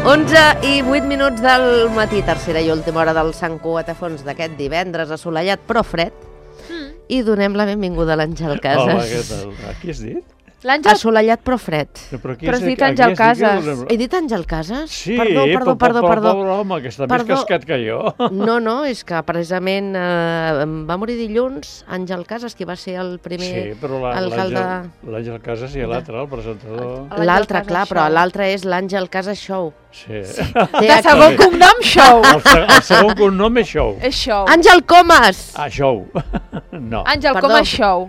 11:08 del matí, tercera i última hora del Sant Cugat a Fons d'aquest divendres assolellat però fred. I donem la benvinguda a l'Àngel Casas. Hola, què tal? A qui has dit? Assolellat però fred. Però has dit Àngel Casas. He dit Àngel Casas? Sí, Perdó. Pobre home, que està més cascat que jo. No, és que precisament va morir dilluns Àngel Casas, que va ser el primer alcalde... L'Àngel Casas i l'altre, el presentador. L'altre, clar, però l'altre és l'Àngel Casas Show. Sí. De segon cognom, Show. El segon cognom és Show. És Show. Àngel Comas! Ah, Show. No. Àngel Comas Show.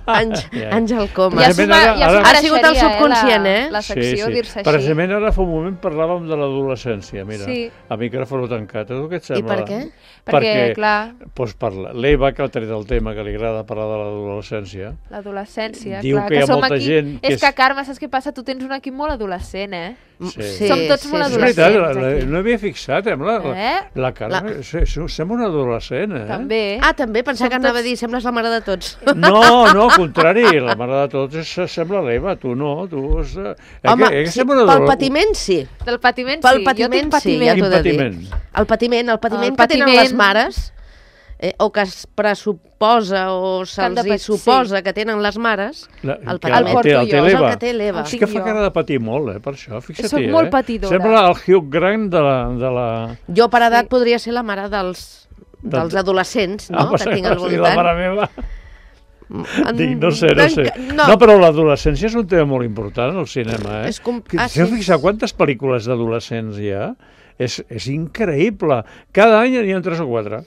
Àngel Comas. Ha sigut el subconscient, la secció dir-se així. Precisament ara fa un moment parlàvem de l'adolescència, mira, a micròfon tancat. A tu què et sembla? I per què? Perquè, clar... Doncs l'Eva, que ha tret el tema, que li agrada parlar de l'adolescència. L'adolescència, diu clar. Que hi ha molta gent... És que, Carme, saps què passa? Tu tens un equip molt adolescent, eh? Sí. Som tots molt adolescents. És veritat, no havia fixat, la Carme. Sembla un adolescent, eh? També. També, pensava que anava a dir, sembles la mare de tots. No, al contrari, la mare de tots sembla l'Eva, tu no. Home, pel patiment sí. Del patiment sí, pel patiment sí, ja t'ho he de dir. El patiment que tenen les mares, o que es pressuposa o se'ls suposa que tenen les mares, el patiment és el que té l'Eva. És que fa cara de patir molt, per això, fixa't. Soc molt patidora. Sembla el Hugh Grant de la... Jo per edat podria ser la mare dels adolescents, no? Que tinc al voltant. La mare meva... Dic, no sé. No, però l'adolescència és un tema molt important al cinema, eh? Si heu fixat quantes pel·lícules d'adolescents hi ha? És increïble. Cada any n'hi ha 3 o 4.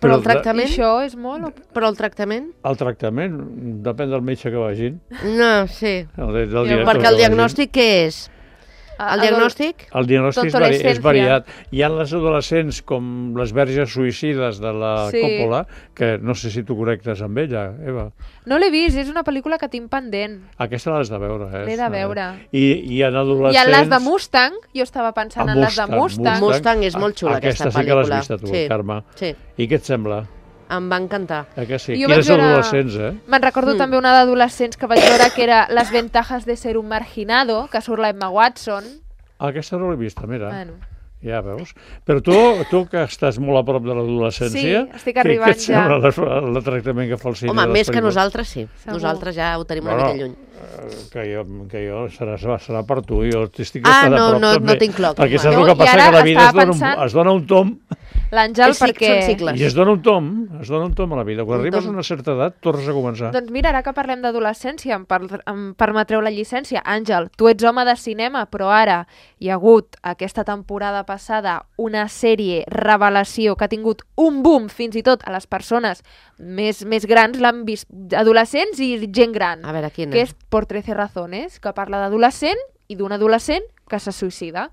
Però el tractament... Això és molt... Però el tractament? El tractament, depèn del metge que vagin. No, sí. Perquè el diagnòstic què és? El diagnòstic? El diagnòstic és variat. Hi ha les adolescents com les verges suïcides de la Coppola, que no sé si tu connectes amb ella, Eva. No l'he vist, és una pel·lícula que tinc pendent. Aquesta l'has de veure, eh? L'he de veure. I en adolescents... I en les de Mustang, jo estava pensant en les de Mustang. Mustang és molt xula, aquesta pel·lícula. Aquesta sí que l'has vist tu, Carme. I què et sembla? Em va encantar. Que sí? Quines adolescents, eh? Me'n recordo també una d'adolescents que vaig veure que era Les ventajas de ser un marginado, que surt la Emma Watson. Aquesta no l'he vista, mira. Bueno. Ja veus. Però tu que estàs molt a prop de l'adolescència... Sí, estic arribant ja. Què et sembla el tractament que fa el cine? Home, més que nosaltres, sí. Nosaltres ja ho tenim una mica lluny. Que jo serà per tu, jo estic bastant a prop també. No tinc cloc. Perquè saps el que passa, que la vida es dona un tom... L'Àngel, perquè... I es dona un tom a la vida. Quan arribes a una certa edat, tornes a començar. Doncs mira, ara que parlem d'adolescència, em permetreu la llicència. Àngel, tu ets home de cinema, però ara hi ha hagut aquesta temporada passada una sèrie revelació que ha tingut un boom fins i tot a les persones més grans, l'han vist adolescents i gent gran. A veure, quina? Que és Por 13 razones, que parla d'adolescent i d'un adolescent que se suïcida.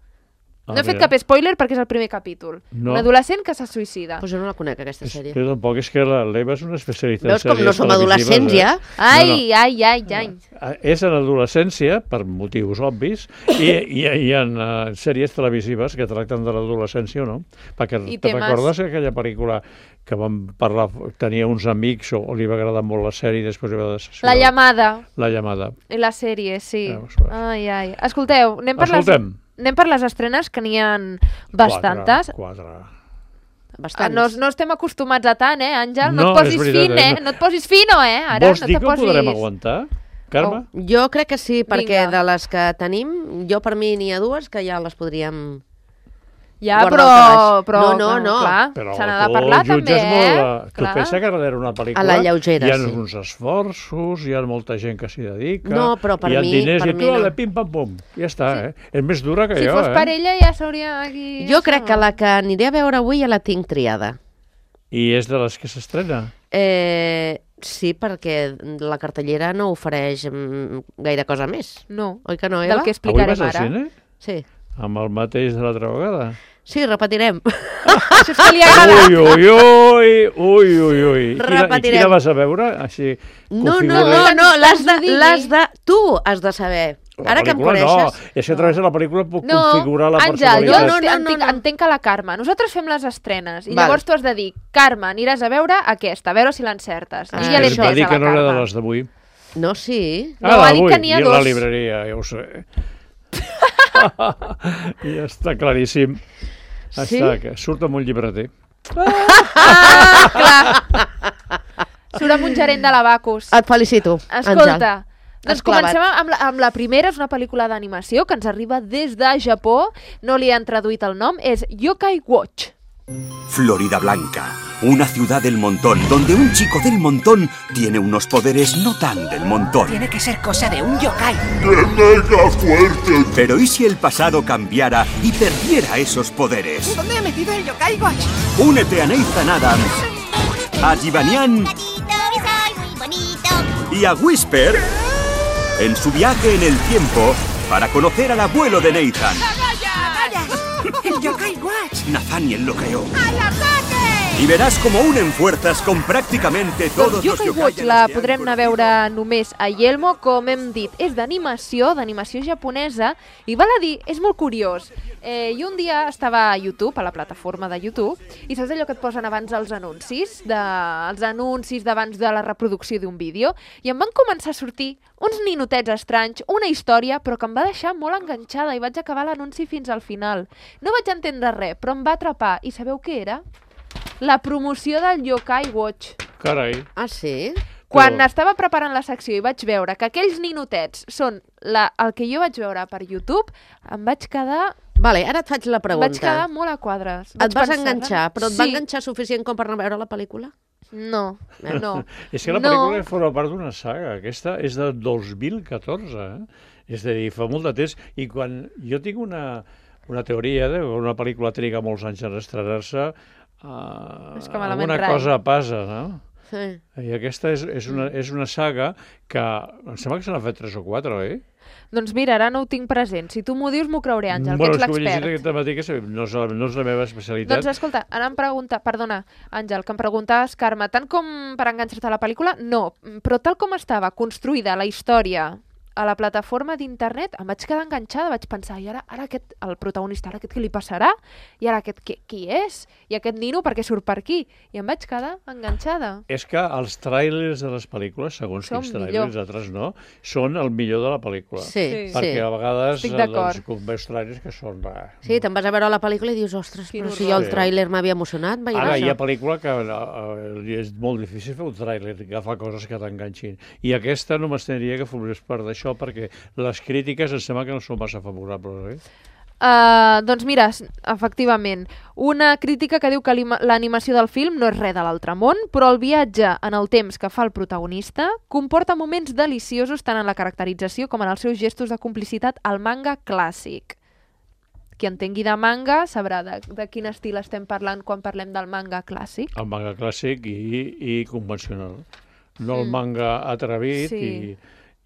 No he fet cap spoiler perquè és el primer capítol. Un adolescent que se suïcida. Pues jo no la conec, aquesta sèrie. Jo tampoc, és que l'Eva és una especialista en sèries televisives. Veus com no som adolescents, ja? Ai. És en adolescència, per motius obvis, i en sèries televisives que tracten de l'adolescència o no. Perquè te recordes aquella pel·lícula que vam parlar, tenia uns amics o li va agradar molt la sèrie i després va decidir... La llamada. La llamada. I la sèrie, sí. Ai. Escolteu, anem per les estrenes, que n'hi ha bastantes. 4. Bastants. No estem acostumats a tant, Àngel? No et posis fin, No et posis fino, Ara vols dir que ho podrem aguantar, Carme? Jo crec que sí, perquè de les que tenim, per mi n'hi ha 2 que ja les podríem... Ja, però clar, se n'ha de parlar també, Tu pensa que darrere una pel·lícula a la lleugera, hi ha uns esforços, hi ha molta gent que s'hi dedica, no, però per hi ha diners i tu, no. pim-pam-pum, ja està, És més dura que jo, Si fos per ella ja s'hauria aquí... Jo crec que la que aniré a veure avui ja la tinc triada. I és de les que s'estrena? Sí, perquè la cartellera no ofereix gaire cosa més. No, oi que no, Eva? Del que explicarem ara. Avui vas al cine? Sí. Amb el mateix de l'altra vegada? Sí, repetirem. Això és que li agrada. Ui. I quina vas a veure? Així, no, tu has de saber. Ara que em coneixes... No, és que a través de la pel·lícula puc configurar la personalitat. Àngel, jo entenc a la Carme. Nosaltres fem les estrenes i llavors tu has de dir, Carme, aniràs a veure aquesta, a veure si l'encertes. I ja l'he entès a la Carme. Va dir que no era de les d'avui. No, sí. No, ha dit que n'hi ha 2. A la libreria, ja ho sé. Ja està claríssim. Sí? Surt amb un llibreter. Clar. Surt amb un gerent de l'Abacus. Et felicito, Escolta, doncs comencem amb la primera. És una pel·lícula d'animació que ens arriba des de Japó. No li han traduït el nom. És Yokai Watch. Florida Blanca, una ciudad del montón, donde un chico del montón tiene unos poderes no tan del montón. Tiene que ser cosa de un yokai. ¡Qué mega fuerte! Pero ¿y si el pasado cambiara y perdiera esos poderes? ¿Dónde he metido el Yokai Watch? Únete a Nathan Adams, a Givanian y a Whisper en su viaje en el tiempo para conocer al abuelo de Nathan. ¡El Yokai Watch! Nathaniel lo creó. ¡Al ataque! Y verás como unen fuerzas con prácticamente todos los Yokai Watch la podrem anar a veure només a Yelmo, com hem dit. És d'animació japonesa, i val a dir, és molt curiós. I un dia estava a YouTube, a la plataforma de YouTube, i saps allò que et posen abans els anuncis d'abans de la reproducció d'un vídeo? I em van començar a sortir uns ninotets estranys, una història, però que em va deixar molt enganxada i vaig acabar l'anunci fins al final. No vaig entendre res, però em va atrapar. I sabeu què era? La promoció del Yokai Watch. Carai. Ah, sí? Quan estava preparant la secció i vaig veure que aquells ninotets són el que jo vaig veure per YouTube, em vaig quedar... Vale, ara et faig la pregunta. Vaig quedar molt a quadres. Et vas enganxar, però et va enganxar suficient com per anar a veure la pel·lícula? No. És que la pel·lícula forma part d'una saga. Aquesta és de 2014, És a dir, fa molt de temps. I quan jo tinc una teoria de que una pel·lícula triga molts anys en estrenar-se, alguna cosa passa, no? Sí. I aquesta és una saga que em sembla que se n'ha fet 3 o 4, Doncs mira, ara no ho tinc present. Si tu m'ho dius, m'ho creuré, Àngel, que ets l'expert. No és la meva especialitat. Doncs escolta, ara em pregunta... Perdona, Àngel, que em preguntaves, Carme, tant com per enganxar-te a la pel·lícula, no. Però tal com estava construïda la història a la plataforma d'internet, em vaig quedar enganxada, vaig pensar, i ara aquest, el protagonista, ara aquest què li passarà? I ara aquest qui és? I aquest nino per què surt per aquí? I em vaig quedar enganxada. És que els tràilers de les pel·lícules, segons quins tràilers, altres no, són el millor de la pel·lícula. Sí. Perquè a vegades veus tràilers que són... Sí, te'n vas a veure la pel·lícula i dius, ostres, però si jo el tràiler m'havia emocionat, ara hi ha pel·lícula que és molt difícil fer un tràiler, agafar coses que t'enganxin. I aquesta no m'estendria que formés part d'això, perquè les crítiques em sembla que no són massa favorables, doncs mira, efectivament, una crítica que diu que l'animació del film no és res de l'altre món, però el viatge en el temps que fa el protagonista comporta moments deliciosos tant en la caracterització com en els seus gestos de complicitat al manga clàssic. Qui entengui de manga sabrà de quin estil estem parlant quan parlem del manga clàssic. El manga clàssic i convencional. No el manga atrevit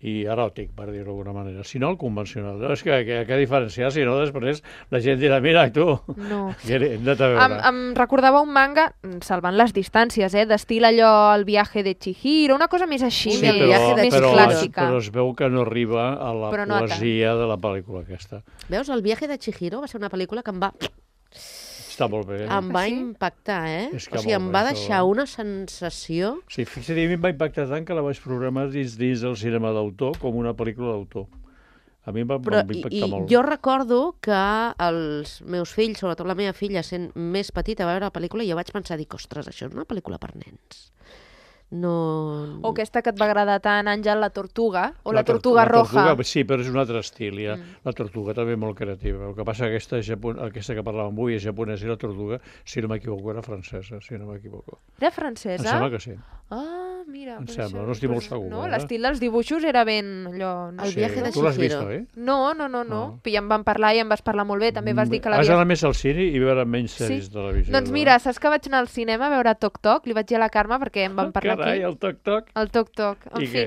i eròtic, per dir-ho d'alguna manera, sinó el convencional. No, és que diferenciar, si no, després la gent dirà, mira, tu, hem de veure. Em recordava un manga, salvant les distàncies, d'estil allò El viaje de Chihiro, una cosa més així, més clàssica. Però es veu que no arriba a la poesia de la pel·lícula aquesta. Veus, El viaje de Chihiro va ser una pel·lícula que em va... Està molt bé. Em va impactar, O sigui, em va deixar una sensació... Sí, fixa't, a mi em va impactar tant que la vaig programar dins del cinema d'autor com una pel·lícula d'autor. A mi em va impactar molt. Jo recordo que els meus fills, sobretot la meva filla, sent més petita, va veure la pel·lícula i jo vaig pensar, ostres, això és una pel·lícula per nens. No... O aquesta que et va agradar tant, Àngel, La Tortuga, o La Tortuga Roja. Sí, però és un altre estil, ja. La Tortuga també molt creativa. El que passa que aquesta que parlàvem avui és japonesa i La Tortuga, si no m'equivoco, era francesa, si no m'equivoco. Era francesa? Em sembla que sí. Ah, mira. Em sembla, no estic molt segur. No, l'estil dels dibuixos era ben... El viaje de Chihiro. Tu l'has vist, oi? No. Ja em van parlar i em vas parlar molt bé. També vas dir que l'havies... Has anat més al cine i veure menys sèries de televisió. Doncs mira, saps que vaig anar al cinema a veure Toc Toc? Li vaig dir a la Carme perquè em van parlar aquí. Carai, el Toc Toc. El Toc Toc. I què?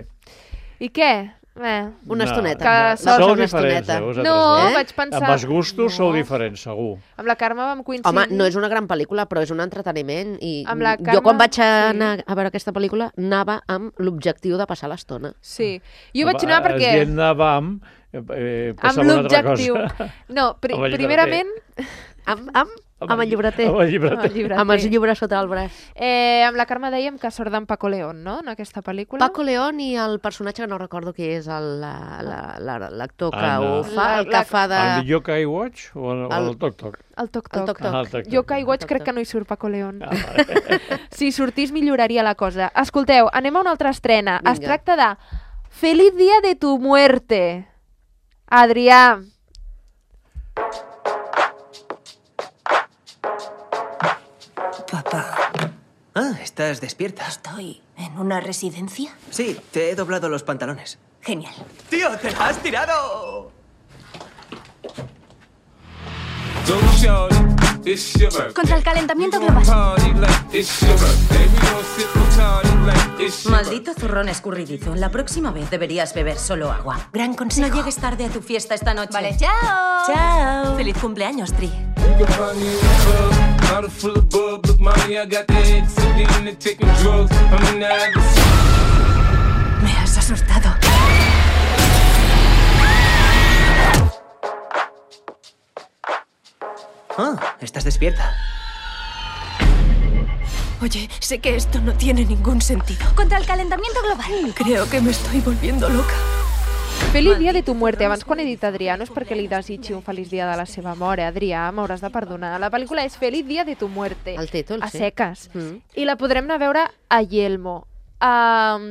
I què? Una estoneta. Sou diferents, no, vaig pensar... Amb els gustos sou diferents, segur. Amb la Carme vam coincidir... Home, no és una gran pel·lícula, però és un entreteniment. I jo quan vaig anar a veure aquesta pel·lícula anava amb l'objectiu de passar l'estona. Sí, jo vaig anar perquè... Es anava amb... amb l'objectiu. No, primerament... Amb el llibreter. Amb els llibres sota el braç. Amb la Carme dèiem que surt d'en Paco León, no?, en aquesta pel·lícula. Paco León i el personatge que no recordo qui és, l'actor que ho fa, el que fa de... El Yokai Watch o el Toc Toc? El Toc Toc. Yokai Watch crec que no hi surt Paco León. Si sortís milloraria la cosa. Escolteu, anem a una altra estrena. Es tracta de Feliz Día de tu Muerte. Adrià. Papá. ¿Estás despierta? ¿Estoy en una residencia? Sí, te he doblado los pantalones. Genial. ¡Tío, te la has tirado! Contra el calentamiento global. Maldito zurrón escurridizo. La próxima vez deberías beber solo agua. Gran consejo. No llegues tarde a tu fiesta esta noche. Vale, chao. Chao. Feliz cumpleaños, Tri. Me has asustado. ¿Estás despierta? Oye, sé que esto no tiene ningún sentido. Contra el calentamiento global. Creo que me estoy volviendo loca. Feliz dia de tu muerte. Abans, quan he dit Adrià, no és perquè li desitgi un feliç dia de la seva mort. Adrià, m'hauràs de perdonar. La pel·lícula és Feliz dia de tu muerte. El títol, sí. A seques. I la podrem anar a veure a Yelmo.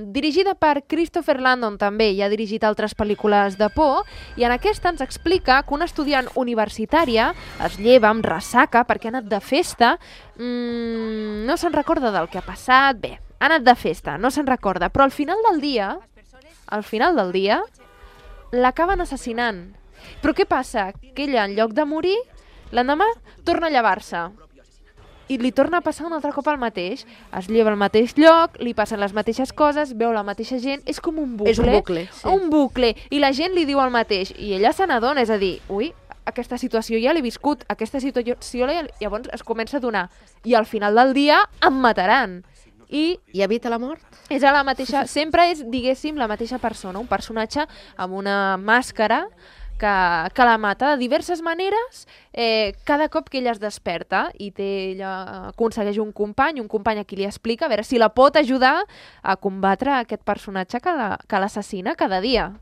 Dirigida per Christopher Landon també, i ha dirigit altres pel·lícules de por, i en aquesta ens explica que una estudiant universitària es lleva amb ressaca perquè ha anat de festa, no se'n recorda del que ha passat, bé, ha anat de festa, no se'n recorda, però al final del dia l'acaben assassinant. Però què passa? Que ella, en lloc de morir, l'endemà torna a llevar-se. I li torna a passar un altre cop el mateix. Es lleva al mateix lloc, li passen les mateixes coses, veu la mateixa gent, és com un bucle. És un bucle, sí. Un bucle, i la gent li diu el mateix, i ella se n'adona, és a dir, ui, aquesta situació ja l'he viscut, aquesta situació llavors es comença a donar, i al final del dia em mataran. I evita la mort? És a la mateixa, sempre és, diguéssim, la mateixa persona, un personatge amb una màscara que la mata de diverses maneres cada cop que ella es desperta, i ella aconsegueix un company a qui li explica a veure si la pot ajudar a combatre aquest personatge que l'assassina cada dia.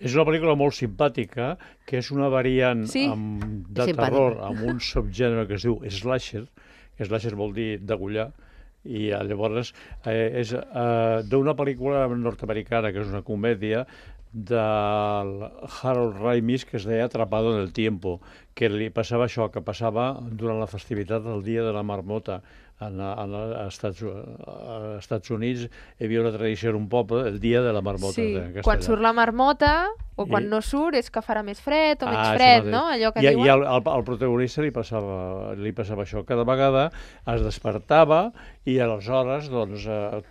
És una pel·lícula molt simpàtica, que és una variant de terror amb un subgènere que es diu slasher, que slasher vol dir degollar, i llavors és d'una pel·lícula nord-americana que és una comèdia del Harold Ramis, que es deia Atrapado en el Tiempo, que li passava això, que passava durant la festivitat del Dia de la Marmota. Als Estats Units hi havia una tradició en un poble, el Dia de la Marmota. Sí, quan surt la marmota, o quan no surt, és que farà més fred o menys fred, no? Allò que diuen. I al protagonista li passava això. Cada vegada es despertava i aleshores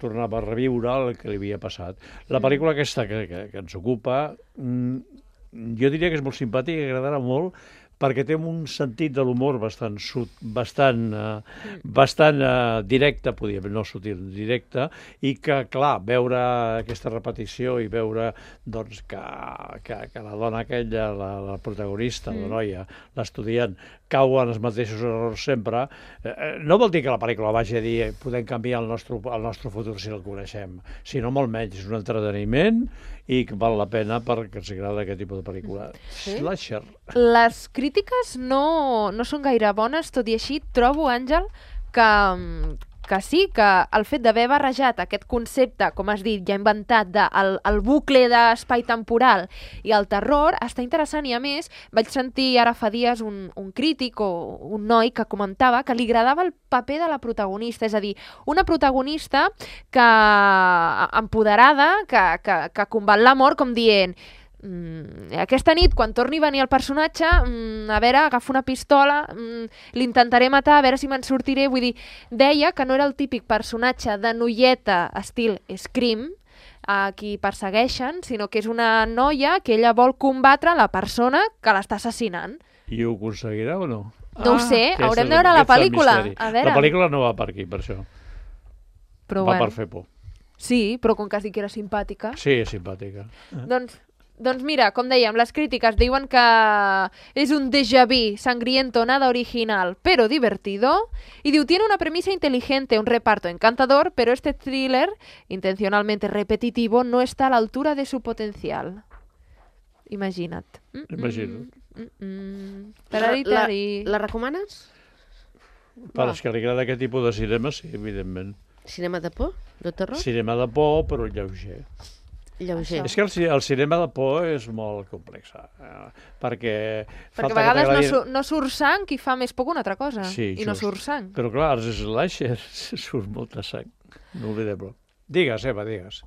tornava a reviure el que li havia passat. La pel·lícula aquesta que ens ocupa, jo diria que és molt simpàtica i agradarà molt, perquè té un sentit de l'humor bastant directe, no sutil, directe, i que, clar, veure aquesta repetició i veure que la dona aquella, la protagonista, la noia, l'estudiant, cau en els mateixos errors sempre, no vol dir que la pel·lícula vagi a dir podem canviar el nostre futur si el coneixem, sinó molt menys, és un entreteniment i que val la pena perquè ens agrada aquest tipus de pel·lícula. Slasher. Les crítiques no són gaire bones, tot i així trobo, Àngel, que sí, que el fet d'haver barrejat aquest concepte, com has dit, ja inventat, del bucle d'espai temporal i el terror, està interessant. I a més, vaig sentir ara fa dies un crític o un noi que comentava que li agradava el paper de la protagonista, és a dir, una protagonista empoderada, que combat la mort com dient aquesta nit, quan torni a venir el personatge, a veure, agafo una pistola, l'intentaré matar, a veure si me'n sortiré. Vull dir, deia que no era el típic personatge de noieta estil Scream, a qui persegueixen, sinó que és una noia que ella vol combatre la persona que l'està assassinant. I ho aconseguirà o no? No ho sé, haurem de veure la pel·lícula. La pel·lícula no va per aquí, per això. Va per fer por. Sí, però com que has dit que era simpàtica. Sí, és simpàtica. Doncs Doncs mira, com dèiem, les crítiques diuen que és un déjà vu sangriento, nada original, pero divertido. Y diu, tiene una premisa inteligente, un reparto encantador, pero este thriller, intencionalmente repetitivo, no está a la altura de su potencial. Imagina't. Imagina't. La recomanes? Per als que li agrada aquest tipus de cinema, sí, evidentment. Cinema de por? De terror? Cinema de por, però lleuger. Lleuger. És que el cinema de por és molt complex, perquè a vegades no surt sang i fa més por que una altra cosa, sí, i no surt sang. Però clar, als slashers surt molta sang, no oblidem-ho. Digues, Eva, digues.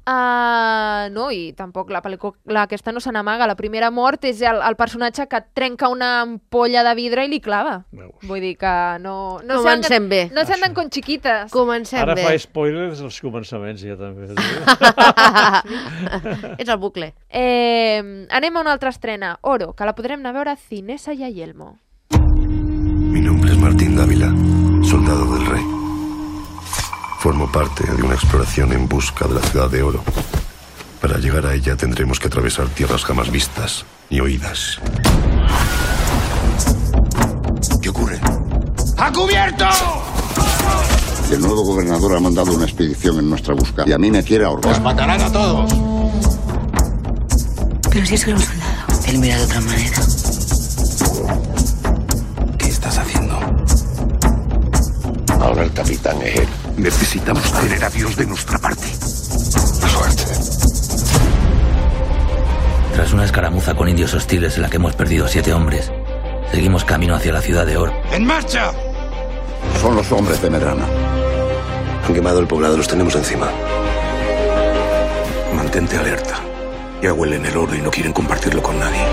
No, i tampoc la pel·lícula aquesta no se n'amaga. La primera mort és el personatge que trenca una ampolla de vidre i li clava. Veus. Vull dir que no Comencem bé. No se anden con chiquitas. Comencem Ara bé. fa spoilers als començaments, ja també. Ets el bucle. Anem a una altra estrena, Oro, que la podrem anar a veure a Cinesa y a Yelmo. Mi nombre es Martín Dávila, soldado del rey. Formo parte de una exploración en busca de la ciudad de oro. Para llegar a ella tendremos que atravesar tierras jamás vistas ni oídas. ¿Qué ocurre? ¡A cubierto! El nuevo gobernador ha mandado una expedición en nuestra busca y a mí me quiere ahorcar. ¡Os matarán a todos! Pero si es que era un soldado. Él mira de otra manera. ¿Qué estás haciendo? Ahora el capitán es él. Necesitamos tener a Dios de nuestra parte. Suerte. Tras una escaramuza con indios hostiles en la que hemos perdido 7 hombres, seguimos camino hacia la ciudad de Or. ¡En marcha! Son los hombres de Medrana. Han quemado el poblado, los tenemos encima. Mantente alerta. Ya huelen el oro y no quieren compartirlo con nadie.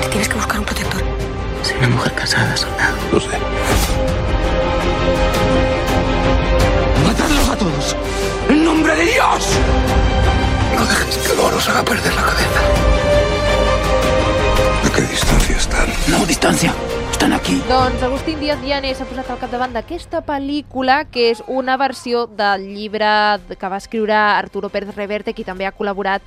Te tienes que buscar un protector. Soy una mujer casada, soldado. Lo sé. ¡Matadlos a todos! ¡En nombre de Dios! No dejes que el oro os haga perder la cabeza. ¿A qué distancia están? No, distancia. Estan aquí. Doncs Agustín Díaz Llanes s'ha posat al capdavant d'aquesta pel·lícula, que és una versió del llibre que va escriure Arturo Pérez Reverte, qui també ha col·laborat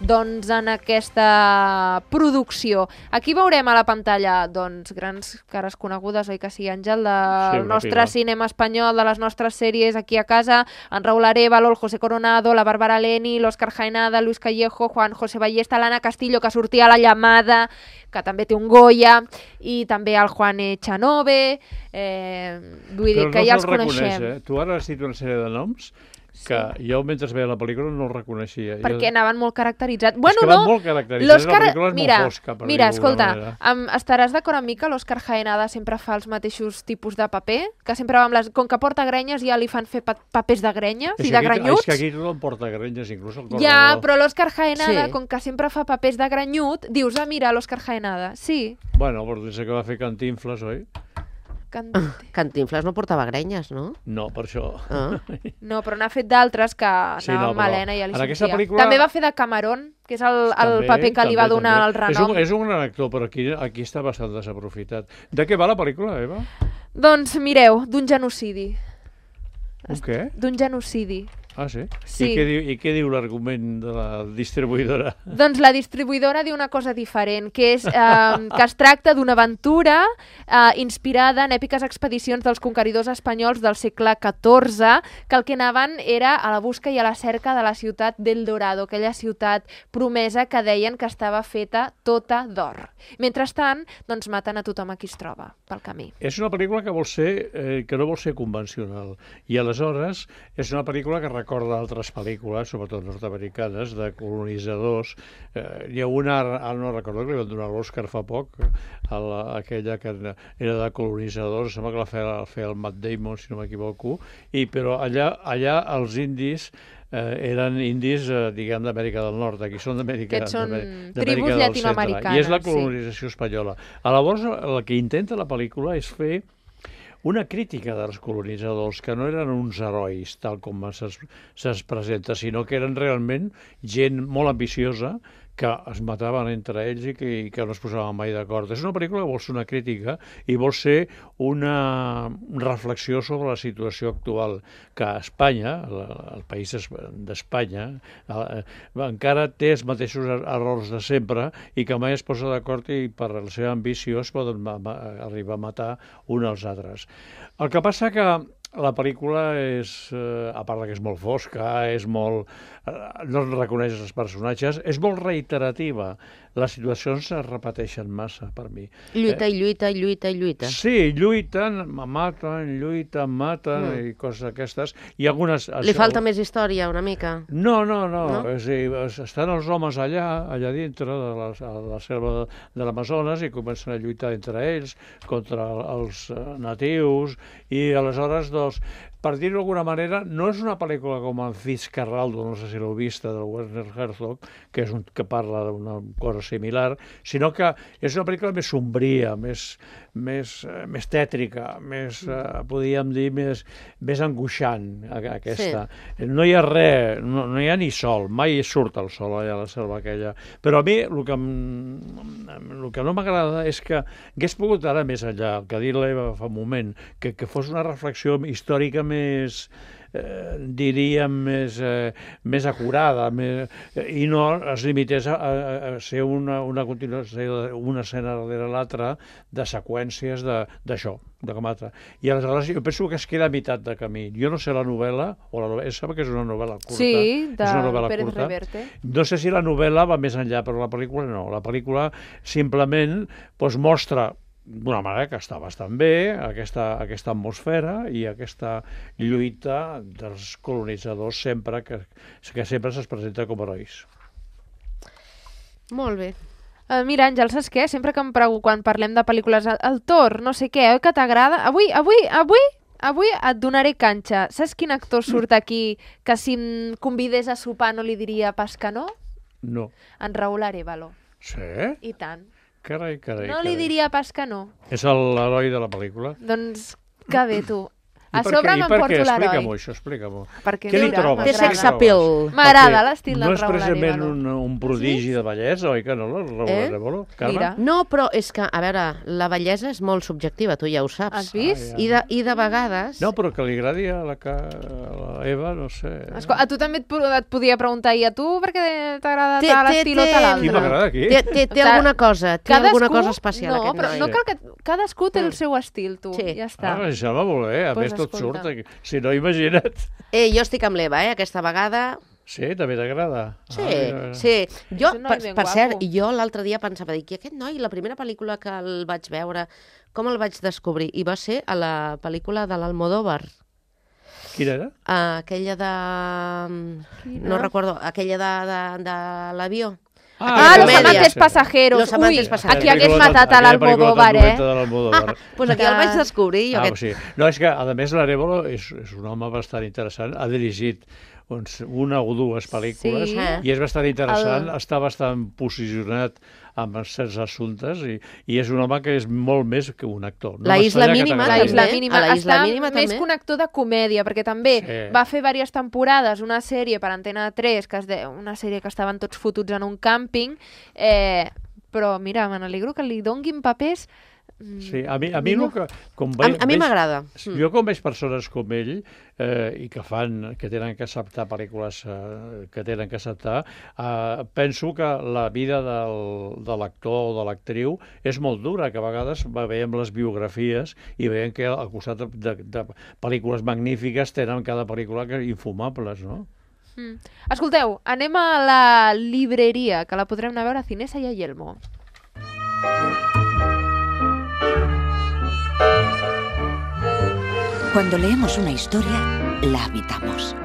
doncs, en aquesta producció. Aquí veurem a la pantalla doncs, grans cares conegudes, oi que sí, Àngel, del nostre cinema espanyol, de les nostres sèries aquí a casa, en Raúl Arévalo, el José Coronado, la Bárbara Leni, l'Òscar Jaenada, Luis Callejo, Juan José Ballesta, l'Anna Castillo, que sortia a La Llamada, que també té un Goya, i també el Juan Echanove, vull dir que ja els coneixem. Tu ara has dit una sèrie de noms que jo, mentre veia la pel·lícula, no els reconeixia. Perquè anaven molt caracteritzats. Bueno, és que van molt caracteritzats, la pel·lícula és molt fosca. Mira, escolta, estaràs d'acord amb mi que l'Òscar Jaenada sempre fa els mateixos tipus de paper? Que sempre va amb les... Com que porta grenyes, ja li fan fer papers de grenyes i de grenyuts? És que aquí tothom porta grenyes, inclús el Coronado. Ja, però l'Òscar Jaenada, com que sempre fa papers de grenyut, dius, mira, l'Òscar Jaenada. Sí. Bueno, però dius que va fer Cantinflas, oi? Cantinflas no portava grenyes, no? No, per això. No, però n'ha fet d'altres que anava amb Helena i ja li sentia. Pel·lícula... També va fer de Camarón, que és el paper que li va donar el renom. És un gran actor, però aquí està bastant desaprofitat. De què va la pel·lícula, Eva? Doncs mireu, d'un genocidi. Un què? D'un genocidi. Ah, sí? Sí. I què diu l'argument de la distribuïdora? Doncs la distribuïdora diu una cosa diferent, que és que es tracta d'una aventura inspirada en èpiques expedicions dels conqueridors espanyols del segle XIV, que el que anaven era a la busca i a la cerca de la ciutat d'El Dorado, aquella ciutat promesa que deien que estava feta tota d'or. Mentrestant, doncs maten a tothom a qui es troba pel camí. És una pel·lícula que no vol ser convencional, i aleshores és una pel·lícula que recorda altres pel·lícules, sobretot nord-americanes, de colonitzadors. Hi ha una, no recordo, que li van donar l'Oscar fa poc, aquella que era de colonitzadors, sembla que la feia el Matt Damon, si no m'equivoco, però allà els indis eren indis, diguem, d'Amèrica del Nord, aquí són d'Amèrica del Centre. Que són tribus llatinoamericanes. I és la colonització espanyola. Llavors, el que intenta la pel·lícula és fer una crítica dels colonitzadors, que no eren uns herois, tal com se'ls presenta, sinó que eren realment gent molt ambiciosa, que es mataven entre ells i que no es posaven mai d'acord. És una pel·lícula que vol ser una crítica i vol ser una reflexió sobre la situació actual, que a Espanya, el país d'Espanya, encara té els mateixos errors de sempre i que mai es posa d'acord i per la seva ambició es poden arribar a matar uns als altres. El que passa que la pel·lícula és, a part que és molt fosca, és molt... no reconeix els personatges, és molt reiterativa. Les situacions es repeteixen massa, per mi. Lluita i lluita i lluita i lluita. Sí, lluiten, maten i coses d'aquestes. I algunes... Li falta més història, una mica? No. És a dir, estan els homes allà dintre de la selva de l'Amazones i comencen a lluitar entre ells contra els natius i aleshores, doncs, per dir-ho d'alguna manera, no és una pel·lícula com en Fitzcarraldo, no sé si l'heu vista, del Werner Herzog, que és que parla d'una cosa similar, sinó que és una pel·lícula més sombria, més tètrica, més, podríem dir, més angoixant, aquesta. Sí. No hi ha res, no hi ha ni sol, mai surt el sol allà a la selva aquella. Però a mi el que no m'agrada és que hagués pogut anar més enllà, el que ha dit l'Eva fa un moment, que fos una reflexió històrica més, diríem, més acurada i no es limités a ser una continuació, una escena darrere l'altra de seqüències d'això, de com altra. I aleshores jo penso que es queda a meitat de camí. Jo no sé la novel·la, sap que és una novel·la curta. Sí, de Pérez Reverte. No sé si la novel·la va més enllà, però la pel·lícula no. La pel·lícula simplement mostra d'una manera que està bastant bé aquesta atmosfera i aquesta lluita dels colonitzadors sempre que sempre se'ls presenta com herois. Molt bé. Mira, Àngel, saps què? Sempre que quan parlem de pel·lícules, el Thor, no sé què, que t'agrada? Avui et donaré canxa. Saps quin actor surt aquí que si em convidés a sopar no li diria pas que no? No. En Raúl Arévalo. Sí? I tant. Carai. No li diria pas que no. És l'heroi de la pel·lícula? Doncs que bé, tu. A sobre m'emporto l'heroi. Explica-m'ho. Què li trobes? Té sex appeal. M'agrada l'estil del Raúl Arévalo. No és precisament un prodigi de bellesa, oi que no, el Raúl Arévalo? No, però és que, a veure, la bellesa és molt subjectiva, tu ja ho saps. Has vist? I de vegades... No, però que li agradi a la Eva, no sé... A tu també et podia preguntar, i a tu per què t'agrada tal estil o tal altre? Qui m'agrada aquí? Té alguna cosa, especial aquest noi. No, però no cal que... Cadascú té el seu estil, tu, ja està. Això va molt bé, a més tot surt. Si no, imagina't. Jo estic amb l'Eva, aquesta vegada... Sí, també t'agrada? Sí. Jo, per cert, jo l'altre dia pensava, que aquest noi, la primera pel·lícula que el vaig veure, com el vaig descobrir? I va ser a la pel·lícula de l'Almodóvar. Quina era? Aquella de... No recordo, aquella de l'avió. Los amantes pasajeros. Aquí hagués matat a l'Almodóvar, Pues aquí el vaig descobrir. No, és que, a més, l'Arévalo és un home bastant interessant. Ha dirigit una o dues pel·lícules i és bastant interessant, està bastant posicionat amb certs assumptes i és un home que és molt més que un actor. La Isla Mínima està més que un actor de comèdia, perquè també va fer diverses temporades una sèrie per Antena 3, una sèrie que estaven tots fotuts en un càmping, però mira, me n'alegro que li donguin papers. Sí, a mi m'agrada. Jo quan veig persones com ell i que tenen que acceptar pel·lícules que tenen que acceptar, penso que la vida de l'actor o de l'actriu és molt dura, que a vegades veiem les biografies i veiem que al costat de pel·lícules magnífiques tenen cada pel·lícula infumables, no? Escolteu, anem a la libreria, que la podrem anar a veure a Cinesa i a Yelmo. Cuando leemos una historia, la habitamos.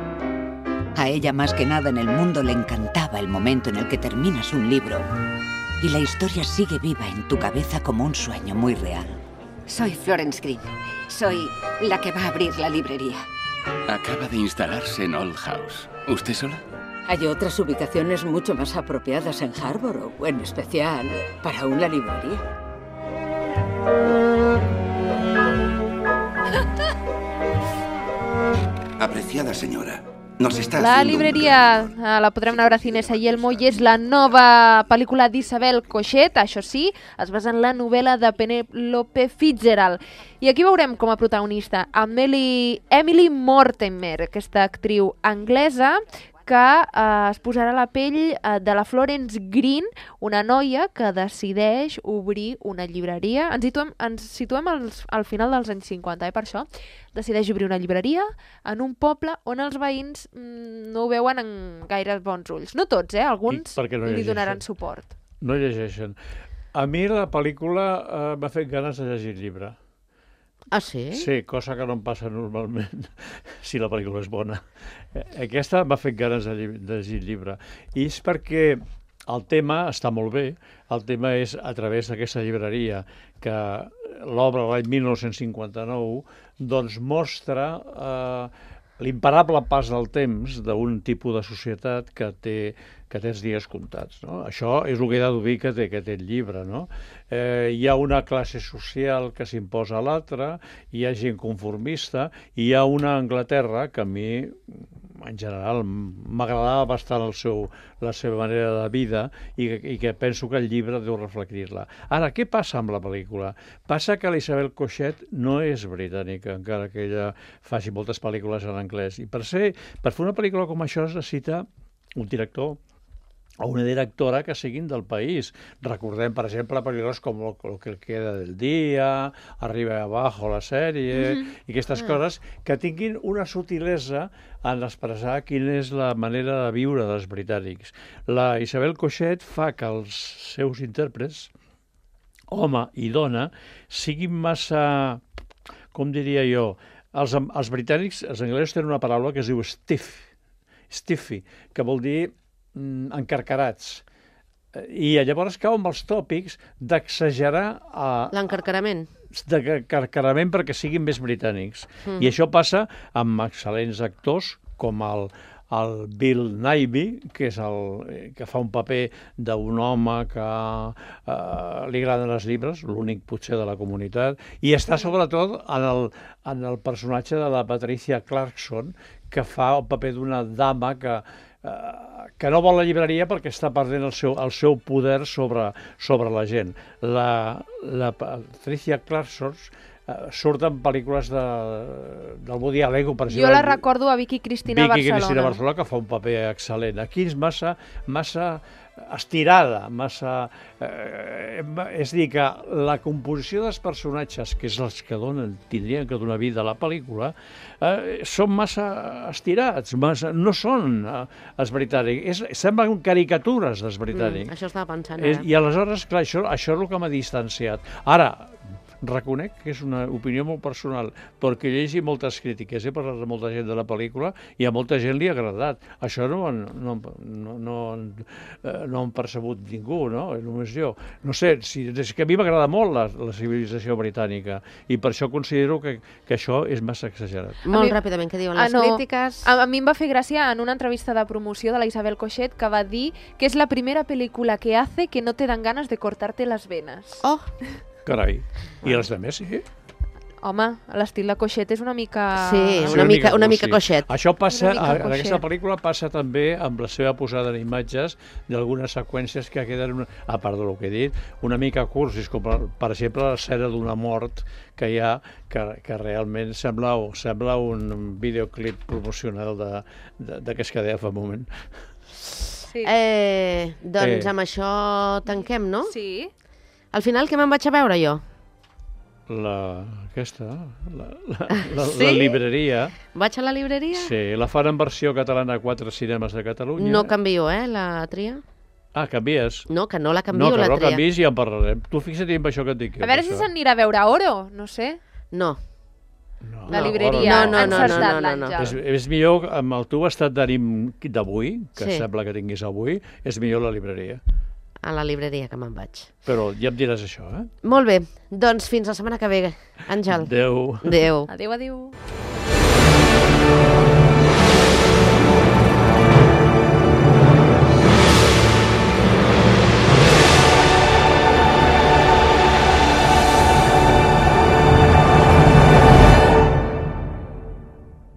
A ella más que nada en el mundo le encantaba el momento en el que terminas un libro y la historia sigue viva en tu cabeza como un sueño muy real. Soy Florence Green. Soy la que va a abrir la librería. Acaba de instalarse en Old House. ¿Usted sola? Hay otras ubicaciones mucho más apropiadas en Harborough, en especial para una librería. Apreciada señora, La libreria la podrem veure a Cinesa i Elmo i és la nova pel·lícula d'Isabel Coixet, això sí, es basa en la novel·la de Penélope Fitzgerald. I aquí veurem com a protagonista Emily Mortimer, aquesta actriu anglesa que es posarà a la pell de la Florence Green, una noia que decideix obrir una llibreria. Ens situem al final dels anys 50, per això. Decideix obrir una llibreria en un poble on els veïns no ho veuen en gaire bons ulls. No tots, alguns li donaran suport. No llegeixen. A mi la pel·lícula m'ha fet ganes de llegir el llibre. Ah, sí? Sí, cosa que no em passa normalment si la pel·lícula és bona. Aquesta m'ha fet ganes de llegir el llibre. I és perquè el tema està molt bé. El tema és a través d'aquesta llibreria que l'obra l'any 1959 doncs mostra l'imparable pas del temps d'un tipus de societat que té els dies comptats. No? Això és el que he de dir que té el llibre. No? Hi ha una classe social que s'imposa a l'altra, hi ha gent conformista, i hi ha una Anglaterra que a mi, en general, m'agradava bastant la seva manera de vida i que penso que el llibre deu reflectir-la. Ara, què passa amb la pel·lícula? Passa que l'Isabel Coixet no és britànica, encara que ella faci moltes pel·lícules en anglès. I per fer una pel·lícula com això es necessita un director o una directora que siguin del país. Recordem, per exemple, pel·lícules com Lo que queda del dia, Arriba y abajo, la sèrie, i aquestes coses que tinguin una sutilesa en expressar quina és la manera de viure dels britànics. La Isabel Coixet fa que els seus intèrprets, home i dona, siguin massa, com diria jo, els britànics, els anglesos tenen una paraula que es diu stiffy, que vol dir encarcarats. I llavors cau amb els tòpics d'exagerar l'encarcarament perquè siguin més britànics. I això passa amb excel·lents actors com el Bill Nighy, que fa un paper d'un home que li agraden els llibres, l'únic potser de la comunitat, i està sobretot en el personatge de la Patricia Clarkson, que fa el paper d'una dama que no vol la llibreria perquè està perdent el seu poder sobre la gent. La Patricia Clarkson surt en pel·lícules del Woody Allen, per exemple. Jo la recordo a Vicky Cristina Barcelona, que fa un paper excel·lent. Aquí és massa estirada, és a dir, que la composició dels personatges, que és els que tindrien que donar vida a la pel·lícula, són massa estirats, no són els britànics, semblen caricatures dels britànics. Això estava pensant ara. I aleshores, clar, això és el que m'ha distanciat. Ara, reconec que és una opinió molt personal, perquè llegi moltes crítiques, he parlat amb molta gent de la pel·lícula i a molta gent li ha agradat. Això no han percebut ningú, no? Només jo. No sé, és que a mi m'agrada molt la civilització britànica i per això considero que això és massa exagerat. Molt ràpidament, què diuen les crítiques? A mi em va fer gràcia en una entrevista de promoció de la Isabel Coixet que va dir que és la primera pel·lícula que hace que no te dan ganas de cortarte las venas. Oh! Carai, i els de més, sí? Home, l'estil de Coixet és una mica... Sí, una mica Coixet. Això passa, en aquesta pel·lícula passa també amb la seva posada en imatges d'algunes seqüències que queden, a part del que he dit, una mica cursis, com per exemple l'escena d'una mort que hi ha, que realment sembla un videoclip promocional de què es quedava fa un moment. Sí. Doncs amb això tanquem, no? Sí. Al final, què me'n vaig a veure jo? La libreria. Vaig a la libreria? Sí, la fan en versió catalana a 4 cinemes de Catalunya. No canvio, la tria. Ah, canvies? No, que no la canvio, la tria. No, que no canvis i ja en parlarem. Tu fixa't en això que et dic. A veure si s'anirà a veure Oro, no sé. No. La libreria. No. És millor, amb el teu estat d'ànim d'avui, que sembla que tinguis avui, és millor la libreria. A la libreria que me'n vaig. Però ja em diràs això, Molt bé, doncs fins la setmana que ve, Àngel. Adéu. Adéu. Adéu.